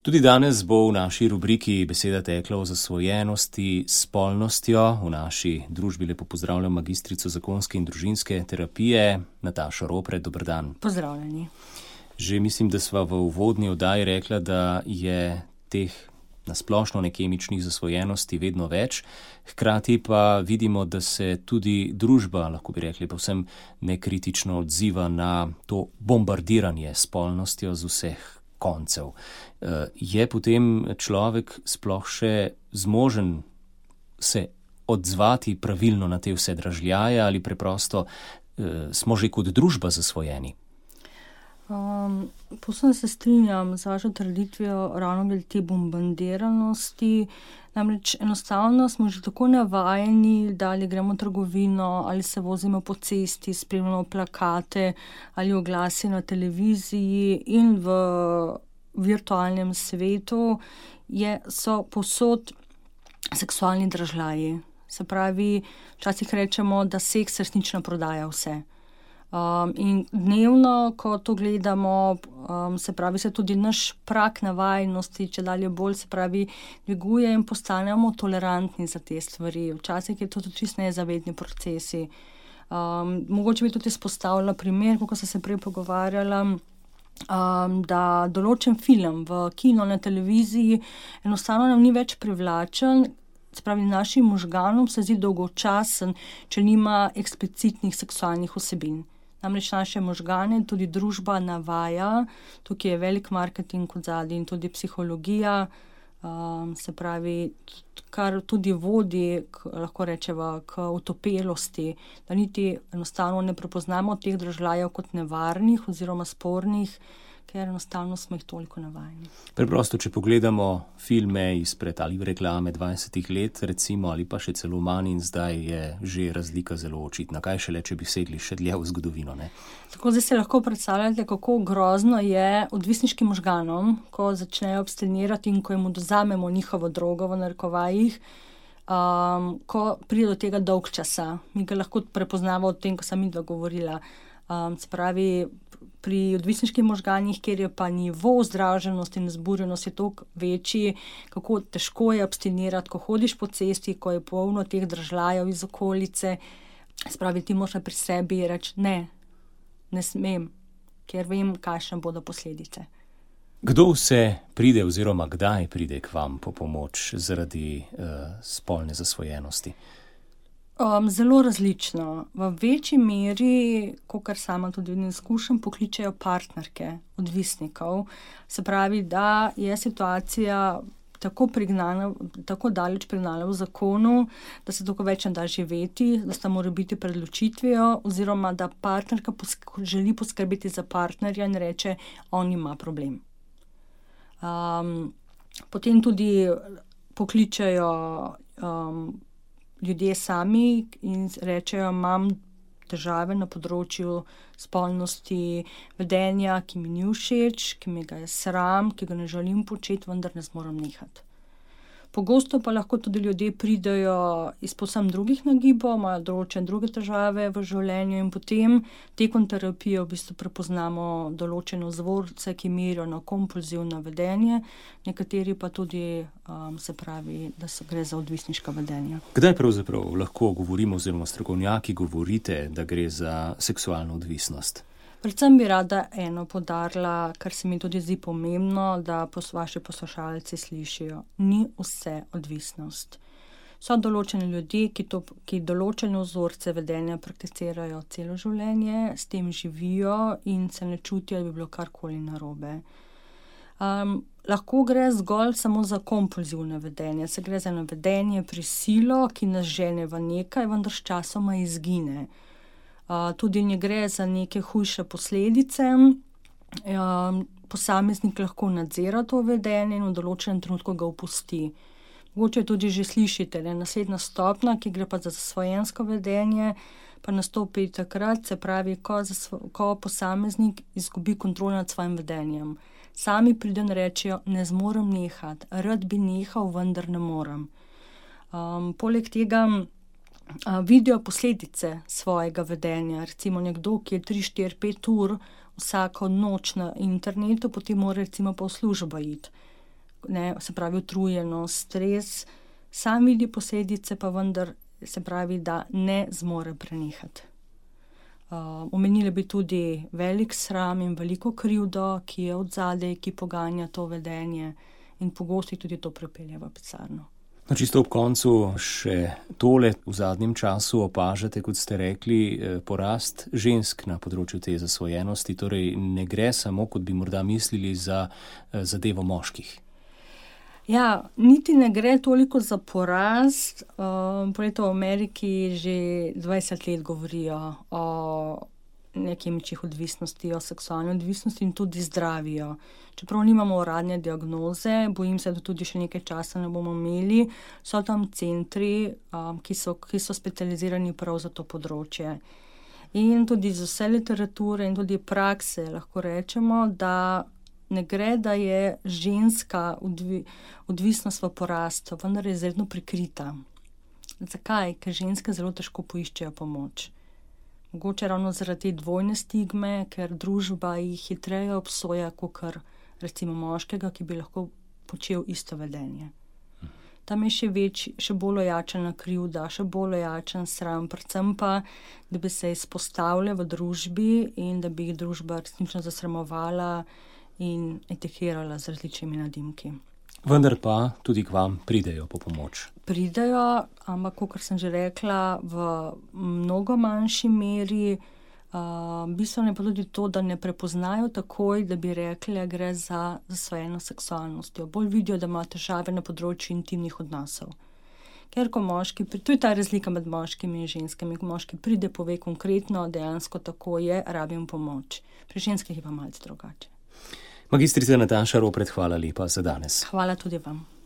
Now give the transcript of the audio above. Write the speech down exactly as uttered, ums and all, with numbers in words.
Tudi danes bo v naši rubriki beseda tekla o zasvojenosti s spolnostjo. V naši družbi lepo pozdravljam magistrico zakonske in družinske terapije Natašo Ropret. Dober dan. Pozdravljeni. Že mislim, da sva v uvodni oddaji rekla, da je teh nasplošno nekemičnih zasvojenosti vedno več. Hkrati pa vidimo, da se tudi družba, lahko bi rekli, povsem nekritično odziva na to bombardiranje s spolnostjo z vseh koncev. Je potem človek sploh še zmožen se odzvati pravilno na te vse dražljaje ali preprosto smo že kot družba zasvojeni? Um, Povsem se strinjam z vašo trditvijo ravno glede te bombardiranosti. Namreč enostavno smo že tako navajeni, da ali gremo v trgovino, ali se vozimo po cesti, spremljamo plakate ali oglasi na televiziji in v virtualnem svetu je, so povsod seksualni dražljaji. Se pravi, včasih rečemo, da seks resnično prodaja vse. Um, in dnevno, ko to gledamo, um, se pravi, se tudi naš prag navajnosti, če dalje bolj, se pravi, dviguje in postanemo tolerantni za te stvari. Včasih je to tudi čisto nezavedni procesi. Um, mogoče bi tudi izpostavila primer, kako sem se prej pogovarjala, um, da določen film v kino, na televiziji enostavno nam ni več privlačen. Se pravi, našim možganom se zdi dolgočasen, če nima eksplicitnih seksualnih vsebin. Namreč naše možgane tudi družba navaja, tukaj je velik marketing kot zadnji in tudi psihologija, um, se pravi, kar tudi vodi, k, lahko rečeva, k utopelosti, da niti enostavno ne prepoznamo teh dražljajev kot nevarnih oziroma spornih, ker enostavno smo jih toliko navajeni. Preprosto, če pogledamo filme izpred ali reklame dvajsetih let, recimo, ali pa še celo manj, in zdaj je že razlika zelo očitna. Kaj šele, če bi segli še dlje v zgodovino, ne? Tako zdaj se lahko predstavljate, kako grozno je odvisniškim možganom, ko začnejo abstinirati in ko jim odvzamemo njihovo drogo v narekovajih, um, ko pride do tega dolgčasa. Mi ga lahko prepoznamo od tem, ko sem midva govorila. Um, se pravi, pri odvisniških možganih, kjer je pa nivo vzdraženosti in zburjenosti toliko večji, kako težko je abstinirati, ko hodiš po cesti, ko je polno teh dražljajev iz okolice. Spravi, ti moraš pri sebi reči, ne, ne smem, ker vem, kakšne bodo posledice. Kdo vse pride oziroma kdaj pride k vam po pomoč zaradi uh, spolne zasvojenosti? Um, zelo različno. V večji meri, kakor sama tudi ne izkušam, pokličejo partnerke odvisnikov. Se pravi, da je situacija tako prignana, tako daleč prignana v zakonu, da se tako več ne da živeti, da sta mora biti pred ločitvijo, oziroma da partnerka posk- želi poskrbeti za partnerja in reče, on ima problem. Um, potem tudi pokličejo um, ljudje sami in rečejo, imam težave na področju spolnosti, vedenja, ki mi ni všeč, ki mi ga je sram, ki ga ne želim početi, vendar ne zmorem nehati. Pogosto pa lahko tudi ljudje pridejo iz povsem drugih nagibov, imajo določene druge težave v življenju in potem tekom terapije v bistvu prepoznamo določene vzorce, ki merijo na kompulzivno vedenje, nekateri pa tudi, um, se pravi, da se gre za odvisniška vedenja. Kdaj pravzaprav lahko govorimo oziroma strokovnjaki govorite, da gre za seksualno odvisnost? Predvsem bi rada eno poudarila, kar se mi tudi zdi pomembno, da pos, vaši poslušalci slišijo. Ni vse odvisnost. So določeni ljudje, ki, to, ki določene vzorce vedenja prakticirajo celo življenje, s tem živijo in se ne čutijo, da bi bilo karkoli narobe. Um, lahko gre zgolj samo za kompulzivno vedenje. Se gre za eno vedenje prisilo, ki nas žene v nekaj, vendar sčasoma izgine. Uh, tudi ne gre za neke hujše posledice. Um, posameznik lahko nadzira to vedenje in v določenem trenutku ga opusti. Mogoče tudi že slišite, da je naslednja stopnja, ki gre pa za zasvojensko vedenje, pa nastopi takrat, se pravi, ko, zasvo, ko posameznik izgubi kontrol nad svojim vedenjem. Sami pridejo in rečejo, ne zmorem nehati, rad bi nehal, vendar ne morem. Um, poleg tega vidijo posledice svojega vedenja. Recimo nekdo, ki je tri, štiri, pet ur vsako noč na internetu, potem mora recimo pa v službo iti. ne, se pravi utrujenost, stres, sam vidi posledice, pa vendar se pravi, da ne zmore prenehati. Uh, omenili bi tudi velik sram in veliko krivdo, ki je od zadaj, ki poganja to vedenje in pogosto tudi to pripelje v pisarno. No, čisto ob koncu še tole. V zadnjem času opažate, kot ste rekli, porast žensk na področju te zasvojenosti, torej ne gre samo, kot bi morda mislili, za zadevo moških. Ja, niti ne gre toliko za porast. Um, v Ameriki že dvajset let govorijo o nekemičnih odvisnosti, o seksualni odvisnosti in tudi zdravijo. Čeprav nimamo uradne diagnoze, bojim se, da tudi še nekaj časa ne bomo imeli, so tam centri, um, ki so, ki so specializirani prav za to področje. In tudi z vse literature in tudi prakse lahko rečemo, da ne gre, da je ženska odvi, odvisnost v porastu, vendar je izredno prikrita. Zakaj? Ker ženske zelo težko poiščejo pomoč. Mogoče ravno zaradi dvojne stigme, ker družba jih hitreje obsoja, kot recimo moškega, ki bi lahko počel isto vedenje. Tam je še, več, še bolj ojačena krivda, še bolj ojačen sram, predvsem pa, da bi se izpostavljali v družbi in da bi jih družba resnično zasramovala in etikirala z različnimi nadimki. Vendar pa tudi k vam pridejo po pomoč. Pridejo, ampak, kot sem že rekla, v mnogo manjši meri. Uh, bistveno je pa tudi to, da ne prepoznajo takoj, da bi rekli, da gre za zasvojeno seksualnostjo. Bolj vidijo, da ima težave na področju intimnih odnosov. Ker ko moški, to je ta razlika med moškimi in ženskami, ko moški pride, pove konkretno, dejansko tako je, rabim pomoč. Pri ženskih je pa malce drugače. Magistrica Nataša Ropret, hvala lepa za danes. Hvala tudi vam.